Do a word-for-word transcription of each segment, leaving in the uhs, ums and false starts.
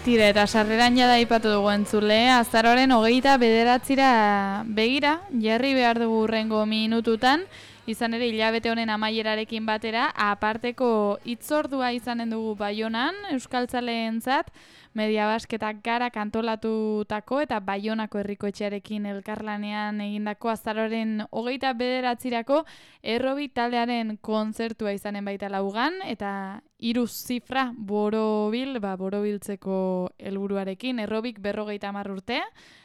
Tira, eta sarreran jada ipatu dugu entzule, azaroaren hogeita bederatzira begira, jarri behar dugu hurrengo minututan, izan ere hilabete honen amaierarekin batera, aparteko hitzordua izanen dugu Baionan, euskaltzaleentzat, Media Basketak gara kantolatutako eta Baionako herriko etxearekin elkarlanean egindako azaroaren hogeita bederatzirako errobi taldearen kontzertua izanen baita laugan, eta hiru zifra borobil, ba, borobiltzeko helburuarekin, errobik berrogeita hamar urte,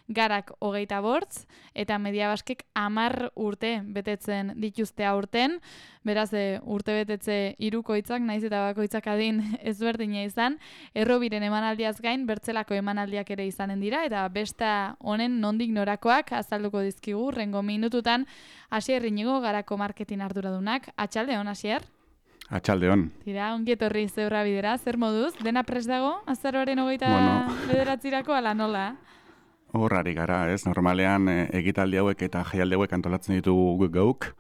garak hogeita bortz, eta Media Baskek hamar urte betetzen dituzte aurten, beraz e, urte betetze hirukoitzak, naiz eta bakoitzak adin ezberdina izan, errobiren emanaldiaz gain, bertzelako emanaldiak ere izanen dira, eta besta honen nondik norakoak azalduko dizkigu, rengo minututan, Asier Inigo garako marketing arduradunak, atxaldeon, Asier? Atxaldeon. Tira, ongi etorri zeurra bidera, zer moduz? Dena prest dago, azaroaren hogeita bueno. bederatzirako, ala nola? Horrari gara, ez? Normalean e, egitaldi hauek eta jaialdi hauek antolatzen ditugu geuk,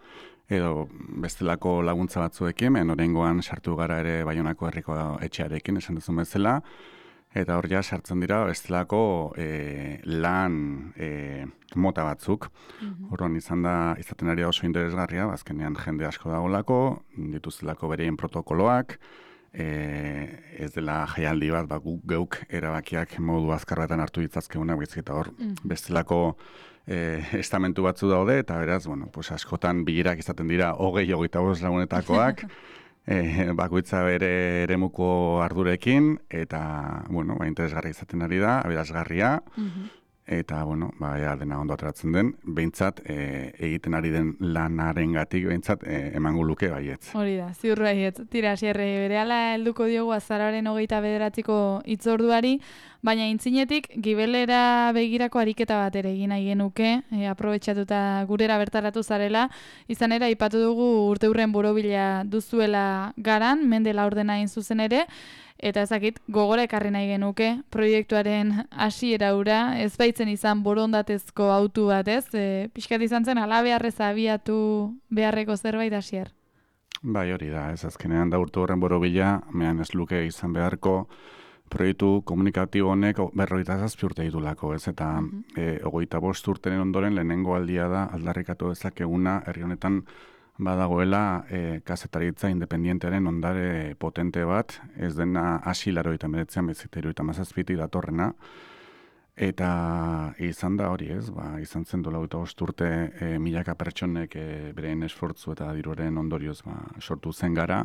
edo bestelako laguntza batzuekin, oraingoan sartu gara ere Baionako herriko etxearekin, esan duzun bezala, eta hor ja sartzen dira bestelako e, lan e, mota batzuk. Mm-hmm. Horron izan da, izaten ari oso interesgarria, azkenean jende asko dagolako, dituztelako bereien protokoloak, e, ez dela jaialdi bat, ba, guk geuk erabakiak modu azkar batan hartu ditzazkeuna, eta hor mm-hmm. bestelako e, estamentu batzu daude, eta beraz, bueno, pues askotan bilerak izaten dira hogei hogeita bost lagunetakoak, E, bakoitza bere eremuko ardurekin, eta, bueno, ba, interesgarri izaten ari da, aberasgarria, mm-hmm. eta, bueno, ba, ea dena ondo ateratzen den, behintzat, e, egiten ari den lanaren gatik, behintzat, e, emango luke baietz. Hori da, ziur baietz. Tira, Xerre, berehala helduko diogu azaroaren hogeita bederatziko hitzorduari, baina intzinetik, gibelera begirako ariketa bat ere egin nahi genuke, e, aprobetxatuta gurera bertaratu zarela, izan ere, aipatu dugu urteurren borobila duzuela garan, mende laurdena hain zuzen ere, eta ezakit, gogora ekarri nahi genuke, proiektuaren hasiera hura, ez baitzen izan borondatezko autu bat, ez? E, pixkat izan zen, ala beharrez abiatu beharreko zerbait Asier? Bai, hori da, ez azkenean da urte horren borobila, mehan ez luke izan beharko, proiektu komunikatibo honek berrogeita zazpi urte ditulako, ez? Eta mm-hmm. e, hogeita bost urtenen ondoren lehenengo aldia da aldarrikatu dezakeguna herri honetan badagoela e, kazetaritza independientearen ondare potente bat, ez dena hasi larogeita hemeretzian beziteru eta mazazpitik datorrena, eta izan da hori ez, ba, izan zen dola hogeita bost urte e, milaka pertsonek e, beren esfortzu eta diruaren ondorioz ba, sortu zen gara,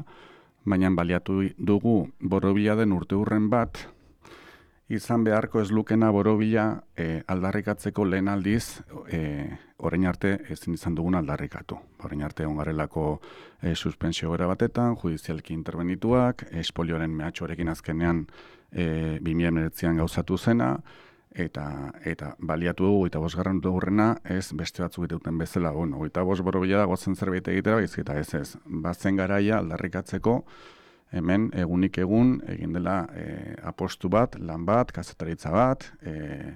baina baliatu dugu borobila den urte hurren bat, izan beharko ez lukena borobila e, aldarrikatzeko lehen aldiz, e, orain arte ezin izan dugun aldarrikatu. Orain arte ongarelako e, suspensio gara batetan, judizialki intervenituak, espolioaren mehatxoarekin azkenean e, bi mila hemeretzian gauzatu zena, eta eta baliatu dugu eta bosgarren urrena ez beste batzuk duten bezala, bueno, eta bost borobila dago zen zerbait egitera, baizik eta ez ez, bazen garaia aldarrikatzeko, hemen egunik egun egin dela e, apostu bat, lan bat, kazetaritza bat, e,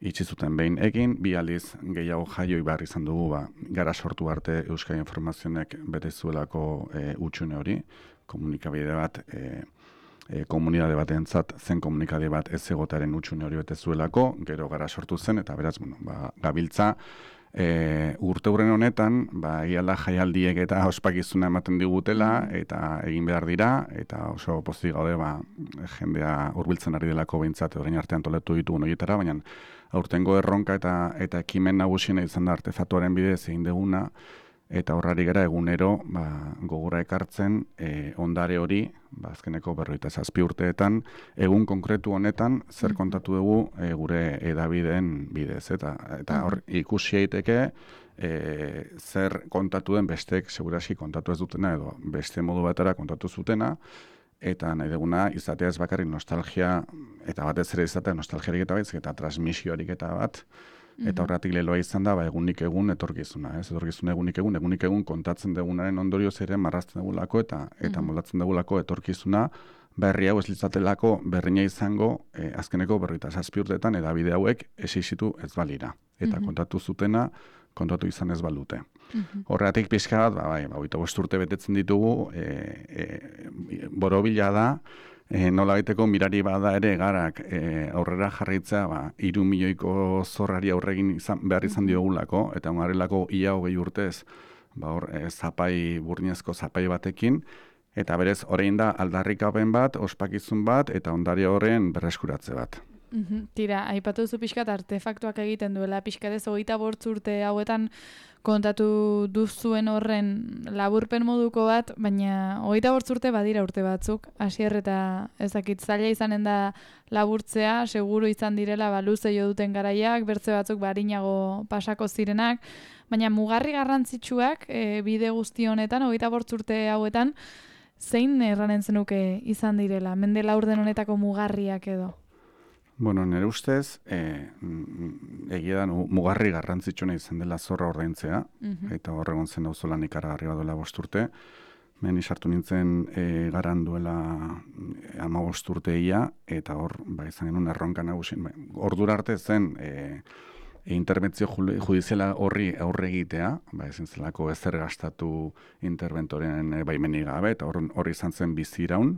itxi zuten behin egin, bi aldiz gehiago jaioi behar izan dugu, ba, gara sortu arte Euskal Informazionek bete zuelako e, utxune hori, komunikabide bat, e, e, komunidade batentzat zen komunikabide bat ez egotaren utxune hori bete zuelako, gero gara sortu zen, eta beraz, bueno, ba, gabiltza, E, urte hurren honetan, ba, egiala jaialdiek eta ospakizuna ematen digutela, eta egin behar dira, eta oso pozik gaude, ba, jendea hurbiltzen ari delako behintzat, orain artean toletu ditugun horietara, baina aurtengo erronka eta eta ekimen nagusiena izan da artefatuaren bidez egin deguna, eta horrari gara egunero ba, gogora ekartzen e, ondare hori, ba, azkeneko berrogeita zazpi urteetan, egun konkretu honetan zer kontatu dugu e, gure edabideen bidez. Eta, eta hor ikusi daiteke e, zer kontatu den besteek seguraski kontatu ez dutena edo beste modu batera kontatu zutena, eta nahi duguna izatea ez bakarrik nostalgia, eta batez ere izatea nostalgiarik eta baizik, eta transmisioarik eta bat, eta horretik leloa izan da, ba, egunik egun etorkizuna, ez? Etorkizuna egunik egun, egunik egun kontatzen dugunaren ondorioz ere marrazten dugulako eta eta mm-hmm. moldatzen dugulako etorkizuna, berri hau ez litzatelako berrina izango, eh, azkeneko berrogeita zazpi urteetan edabide hauek esixitu ez balira. Eta mm-hmm. kontatu zutena, kontatu izan ez balute. Mm-hmm. Horretik pixka bat, ba, bai, ba, hogeita bost urte betetzen ditugu, e, e, borobila da, E, nola baiteko mirari bada ere garak e, aurrera jarritza ba, iru milioiko zorrari aurregin izan, behar izan diogulako, eta ongarrilako ia hogei urtez, ba, hor, e, zapai, burnezko zapai batekin, eta berez, orain da aldarrikapen bat, ospakizun bat, eta ondare horren berreskuratze bat. Uhum. Tira, aipatu zu pixkat artefaktuak egiten duela, pixkatez hogeita bortz urte hauetan kontatu duzuen horren laburpen moduko bat, baina hogeita bortz urte badira urte batzuk, hasier eta ezakit zaila izanen da laburtzea, seguru izan direla ba, luze jo duten garaiak, bertze batzuk barinago pasako zirenak, baina mugarri garrantzitsuak e, bide guzti honetan, hogeita bortz urte hauetan, zein erranen zenuke izan direla, mende laurden honetako mugarriak edo? Bueno, nire ustez, e, egia da mugarri garrantzitsuna izan dela zorra ordaintzea, uh-huh. eta horregon zen dauzolan ikaragarri baduela bosturte. Meni sartu nintzen e, garan duela ama bosturteia, eta hor, ba, izan genuen erronka nagusin. Ordura arte zen, e, e, interbentzio judiziala horri aurre egitea, ba, ezin zelako ezer gastatu interventoren e, baimenik gabe, eta hor, hor izan zen bizi iraun.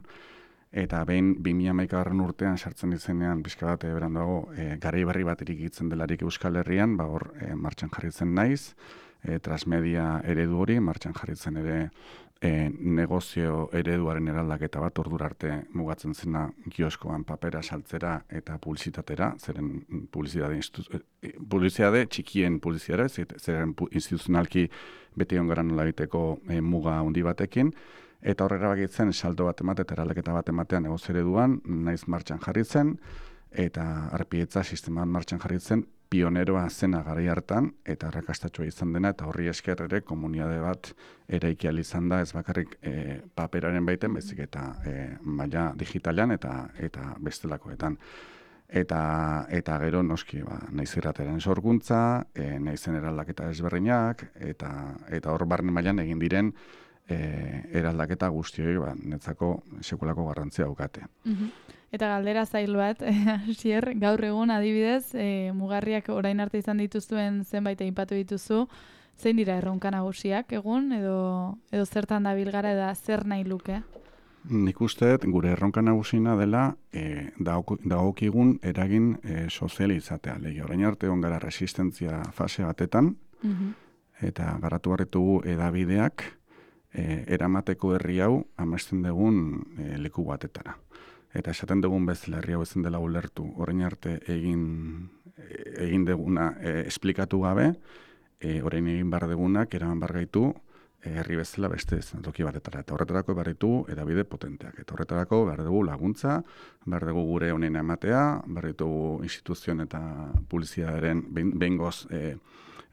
Eta behin bi mila hamaikagarren urtean sartzen izenean pixka bat beranduago e, garai berri bat irikitzen delarik Euskal Herrian, ba hor e, martxan jarritzen naiz, e, transmedia eredu hori, martxan jarritzen ere e, negozio ereduaren eraldaketa bat ordura arte mugatzen zena kioskoan papera saltzera eta publizitatera, zeren publizitate, publizitate txikien publizitatera, zeren instituzionalki beti ongaran nola egiteko e, muga handi batekin, eta horrela bakitzen saldo bat emate eta eraldaketa bat ematean negozio ereduan, naiz martxan jarritzen, eta arpietza sisteman martxan jarritzen, pioneroa zena garai hartan, eta arrakastatxoa izan dena, eta horri esker ere komunitate bat eraiki ahal izan da, ez bakarrik e, paperaren baiten, bezik eta e, maila digitalean eta eta bestelakoetan. Eta, eta gero noski, ba, naiz irrateren sorkuntza, e, naizen eraldaketa ezberdinak, eta, eta hor barne mailan egin diren, E, eraldaketa guztioi ba, netzako sekulako garrantzia daukate. Uh-huh. Eta galdera zail bat, hasier, gaur egun adibidez, e, mugarriak orain arte izan dituzuen zenbait aipatu dituzu, zein dira erronka nagusiak egun, edo, edo zertan dabil gara eta zer nahi luke? Nik uste gure erronka nagusina dela e, dagokigun eragin e, soziali izatea. Lege, orain arte egon gara resistentzia fase batetan, uh-huh. eta garatu barritugu edabideak, E, eramateko herri hau amesten dugun e, leku batetara. Eta esaten dugun bezala herri hau ezin dela ulertu, orain arte egin, egin duguna e, esplikatu gabe, e, orain egin bar degunak eraman bar gaitu e, herri bezala beste ez toki batetara. Eta horretarako behar ditu edabide potenteak. Eta horretarako behar dugu laguntza, behar dugu gure honen ematea, behar ditugu instituzioen eta publizitatearen behingoz e,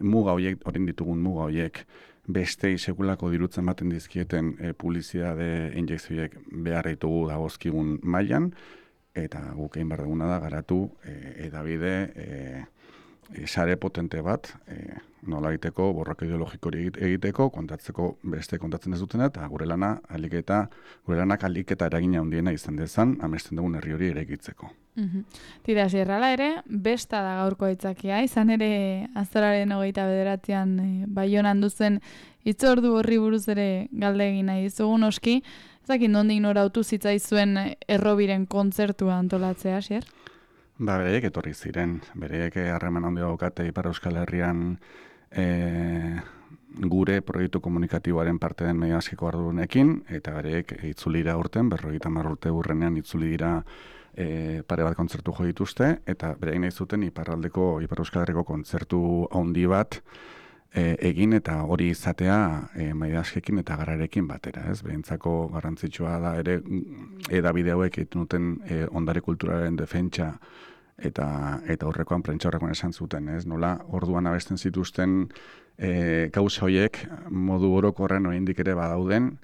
muga horiek, orain ditugun muga horiek, bestei sekulako dirutzen baten dizkieten e, publizitate injekzioek behar ditugu dagozkigun mailan, eta guk egin behar duguna da garatu e, edabide e, e, sare potente bat, e, nola egiteko, borroka ideologiko egiteko, kontatzeko beste kontatzen ez dutena, eta gure lana alik eta gure lanak alik eta eragina handiena izan dezan, amesten dugun herri hori eraikitzeko. Uhum. Tira, zierrala ere, besta da gaurko aitzakia, izan ere azararen hogeita bederatzean e, Baionan duzen hitzordu horri buruz ere galde egin nahi dizugun oski, ezakin nondik norautu zitzaizuen errobiren kontzertua antolatzea, Asier? Ba, bereek etorri ziren, bereek harreman handia daukate Ipar Euskal Herrian e, gure proiektu komunikatiboaren parte den medio askiko ardunekin, eta bereek itzulira urten, berrogeita hamar urte urrenean itzuli dira E, pare bat kontzertu jo dituzte, eta berein nahi zuten Iparraldeko, Ipar Euskal Herriko kontzertu handi bat e, egin, eta hori izatea e, maidaskekin eta gararekin batera, ez? Berentzako garrantzitsua da ere edabide hauek egiten duten e, ondare kulturaren defentsa eta eta horrekoan prentsa horrekoan esan zuten, ez? Nola orduan abesten zituzten e, gauza horiek modu orokorren oraindik ere badauden,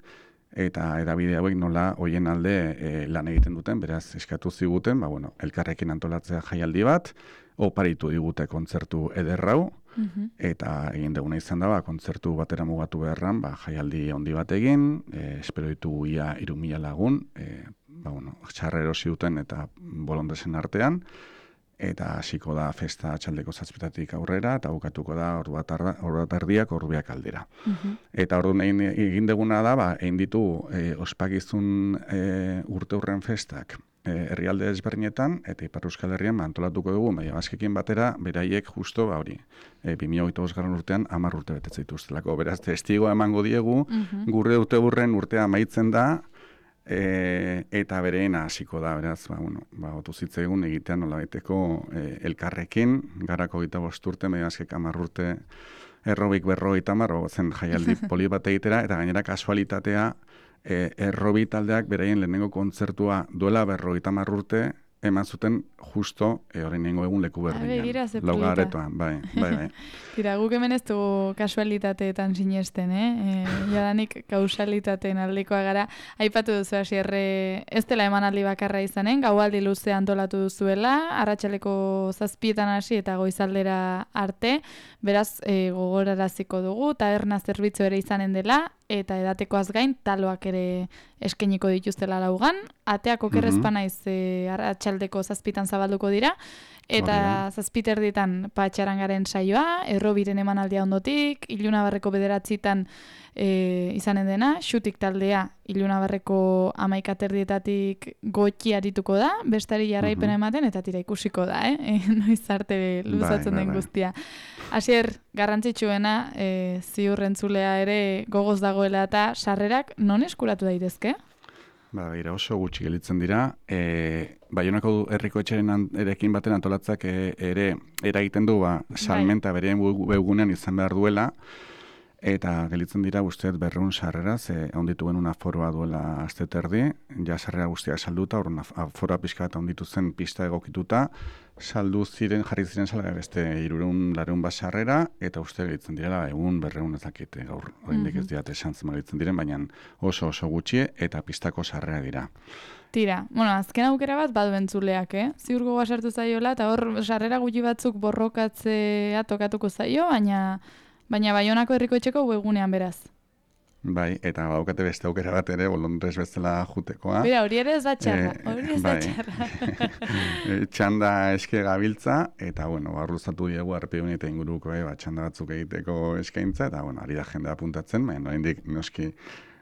eta edabide hauek nola hoien alde e, lan egiten duten, beraz eskatu ziguten, ba, bueno, elkarrekin antolatzea jaialdi bat, oparitu digute kontzertu ederrau, uh-huh. eta egin duguna izan da, ba, kontzertu batera mugatu beharran, ba, jaialdi handi bat egin, e, espero ditugu ia hiru mila lagun, e, ba, bueno, txarra erosi duten eta bolondesen artean, eta hasiko da festa atxaldeko zazpitatik aurrera, eta bukatuko da ordu bat erdiak, ordu biak aldera. Mhm. Eta ordu egin deguna da, ba, egin ditu e, ospakizun e, urte hurren festak e, herrialde ezberdinetan, eta Ipar Euskal Herrian antolatuko dugu, Maia Baskekin batera, beraiek justo, ba hori, e, bi mila hogeita bost urtean hamar urte betetzen dituztelako. Beraz, testigoa emango diegu, Mhm. gure urte hurren urtea amaitzen da, E, eta bereena hasiko da, beraz, ba, bueno, ba, otu zitzaigun egitean nolabaiteko e, elkarrekin, garako gita bost urte, mediazkek hamar urte, errobik berroi tamar, zen jaialdi poli bat egitera, eta gainera kasualitatea, e, errobi taldeak beraien lehenengo kontzertua duela berroi tamar urte, eman zuten justo e, orain nengo egun leku berdinean. Lauga aretoan, bai, bai, bai. Tira, guk hemen ez dugu kasualitateetan sinesten, eh? E, jadanik kausalitateen aldekoa gara. Aipatu duzu hasierre ez dela emanaldi bakarra izanen, gaualdi luze antolatu duzuela, arratsaleko zazpietan hasi eta goizaldera arte, beraz e, gogoraraziko dugu, taberna zerbitzu ere izanen dela, eta edatekoaz gain taloak ere eskainiko dituztela laugan, ateak okerrezpa naiz e, arratsaldeko zazpitan zabalduko dira, eta zazpiterdietan patxarangaren saioa, errobiren emanaldia ondotik, Ilunabarreko bederatzitan e, izanen dena, xutik taldea Ilunabarreko amaikaterdietatik gotxi arituko da, bestari jarraipena ematen, eta tira ikusiko da, eh? Noiz arte luzatzen den guztia. Asier, garrantzitsuena, e, ziurrentzulea ere gogoz dagoela eta sarrerak non eskuratu daitezke? Ba, ira oso gutxi gelitzen dira. E, Baionako herriko etxeren erekin baten antolatzak e, ere eragiten du ba, salmenta bereen webgunean izan behar duela, eta gelitzen dira guztiet berreun sarrera, ze onditu genuen aforoa duela aste terdi, ja sarrera guztiak salduta, orduan aforoa pixka eta onditu zen pista egokituta, saldu ziren, jarri ziren salga beste hirurehun laurehun bat sarrera, eta uste gelitzen direla egun berreun ez dakite gaur, oraindik ez diat esan zen gelitzen diren, baina oso oso gutxi eta pistako sarrera dira. Tira, bueno, azken aukera bat badu entzuleak, eh? Ziur gogoa sartu zaiola, eta hor sarrera gutxi batzuk borrokatzea tokatuko zaio, baina baina Baionako herriko etxeko webgunean beraz. Bai, eta baukate beste aukera bat ere, bolondrez bezala jutekoa. Bira, hori ere ez da txarra, hori ez da bai. txarra. Txanda eske gabiltza, eta, bueno, barruzatu diegu arpeun eta inguruko, eh, ba, txanda batzuk egiteko eskaintza, eta, bueno, ari da jendea apuntatzen, baina oraindik noski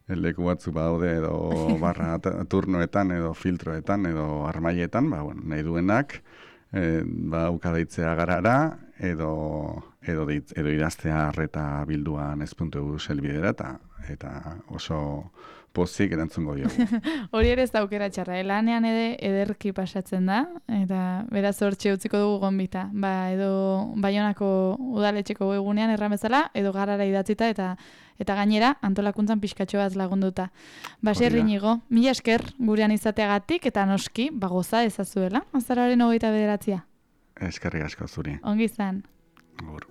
leku batzuk badaude edo barra turnoetan, edo filtroetan, edo armaietan, ba, bueno, nahi duenak, e, ba, ukadaitzea garara, edo, edo, dit, edo idaztea arreta bilduan ez puntu eus elbidera, eta, eta oso pozik erantzungo diogu. Hori ere ez da aukera txarra, lanean ere ederki pasatzen da, eta beraz hortxe utziko dugu gonbita. Ba, edo Baionako udaletxeko egunean erramezala, edo garara idatzita, eta eta gainera antolakuntzan pixkatxo bat lagunduta. Baserri nigo, mila esker gurean izateagatik, eta noski, bagoza ezazuela, azaroaren hogeita bederatzia. Eskerrik asko zuri. Ongi izan. Agur.